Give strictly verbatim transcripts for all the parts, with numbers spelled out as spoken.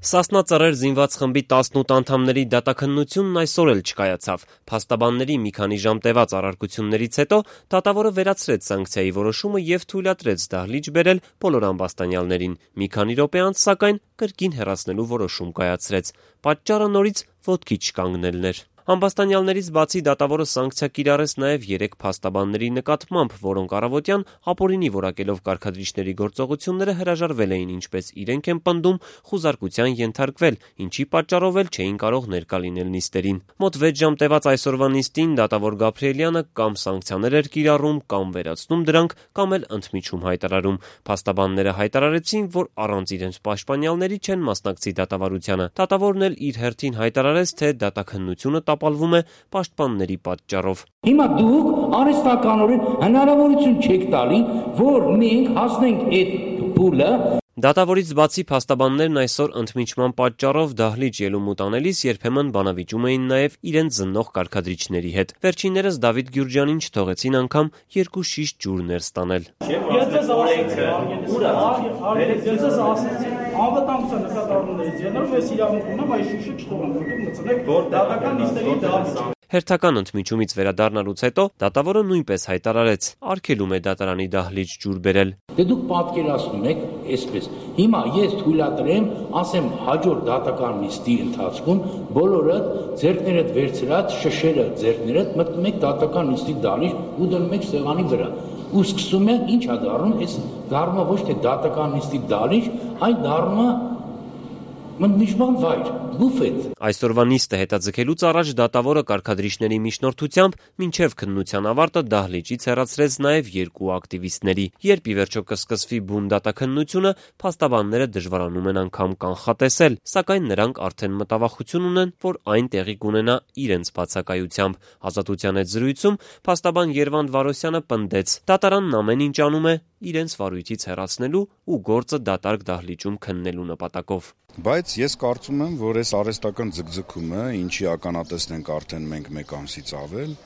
Սասնա Ծռեր զինված խմբի տասնութ անդամների դատաքննությունն այսօր էլ չկայացավ։ Փաստաբանների մի քանի ժամ տևած առարկություններից հետո դատավորը վերացրեց սանկցիայի որոշումը եւ թույլատրեց դահլիճ բերել բոլոր ամբաստանյալներին։ Մի քանի րոպե անց, սակայն, կրկին հեռացնելու որոշում կայացրեց։ Պատճառը նորից ոտքի չկանգնելն էր։ Ամբաստանյալներից բացի դատավորը սանկցիա կիրառեց նաև երեք փաստաբանների նկատմամբ, որոնք առավոտյան ապօրինի որակելով կարգադրիչների գործողությունները հրաժարվել էին, ինչպես իրենք են պնդում, խուզարկության ենթարկվել, ինչի պատճառով էլ չէին կարող ներկա լինել նիստերին։ Մոտ վեց ժամ տևած այսօրվա նիստին դատավոր Գաբրիելյանը կամ սանկցիաներ էր կիրառում, կամ վերացնում դրանք, կամ էլ ընդմիջում հայտարարում։ Փաստաբանները հայտարարեցին, որ առանց իրենց պաշտպանյալների չեն մասնակցի դատավարությանը։ Դատավորն էլ իր հերթին հայտարարեց, թե դատաքննությունը տապալվում է պաշտպանների պատճառով։ Հիմա դուք արհեստականորեն հնարավորություն չեք տալի, որ մենք հասնենք այդ փուլը։ Դատավորից բացի փաստաբաններն այսօր ընդմիջման պատճառով դահլիճ ելում ու տանելիս երբեմն բանավիճում էին նաև իրենց զննող կարգադրիչների հետ։ Վերջիններս Դավիթ Գյուրջյանին չթողեցին անգամ երկու շիշ ջուր ներս տանել։ Անվտանգության նկատառումներից ելնելով ես իրավունք ունեմ այս շիշը չթողնեմ, որտեղ մտցնեք դատական նիստերի դահլիճ։ Հերթական ընդմիջումից վերադառնալուց հետո դատավորը նույնպես հայտարարեց, արգելում է դատարանի դահլիճ ջուր բերել։ Դե դուք պատկերացնում եք այսպես։ Հիմա ես թույլատրեմ, ասեմ հաջորդ դատական նիստի ընթացքում բոլորը ձեռքներդ վերցրած, շշերը ձեռքներդ մտնում եք դատական նիստի դահլիճ ու դնում եք սեղանի վրա։ Ու սկսում են ի՞նչ է դառնում, այս դառնում ոչ թե դատական նիստի դահլիճ, այլ դառնում է ընդմիջման վայր, բուֆետ։ Այսօրվա նիստը հետաձգելուց առաջ դատավորը կարգադրիչների միջնորդությամբ մինչև քննության ավարտը դահլիճից հեռացրեց նաև երկու ակտիվիստների։ Երբ ի վերջո կսկսվի բուն դատաքննությունը, փաստաբանները դժվարանում են անգամ կանխատեսել, սակայն նրանք արդեն մտավախություն ունեն, որ այն տեղի կունենա իրենց բացակայությամբ։ Ազատության հետ զրույցում փաստաբան Երվանդ Վարոսյանը պնդեց. դատարանն ամեն ինչ անում է իրենց վարույթից հեռացնելու ու գործը դատարկ դահլիճում քննելու նպատակով։ Բայց ես կարծում եմ, որ այս արհեստական ձգձգումը, ինչի ականատեսն ենք արդեն մենք մեկ ամսից ավել,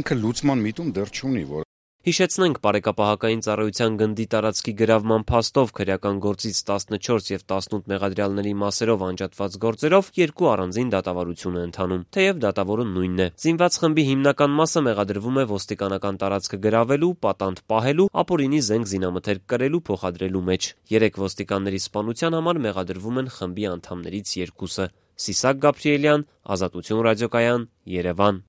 ինքը լուծման միտում դեռ չունի, որ Հիշեցնենք, բարեկապահական ծառայության գնդի տարածքի գրավման փաստով քրեական գործից տասնչորս եւ տասնութ մեղադրյալների մասերով անջատված գործերով երկու առանձին դատավարություն է ընթանում, թեև դատավորը նույնն է։ Զինված խմբի հիմնական մասը մեղադրվում է ոստիկանական տարածքը գրավելու, պատանդ պահելու, ապօրինի զենք զինամթերք կրելու, փոխադրելու մեջ։ Երեք ոստիկանների սպանության համար մեղադրվում են խմբի անդամներից երկուսը։ Սիսակ Գաբրիելյան, Ազատություն ռադիոկայան, Երևան։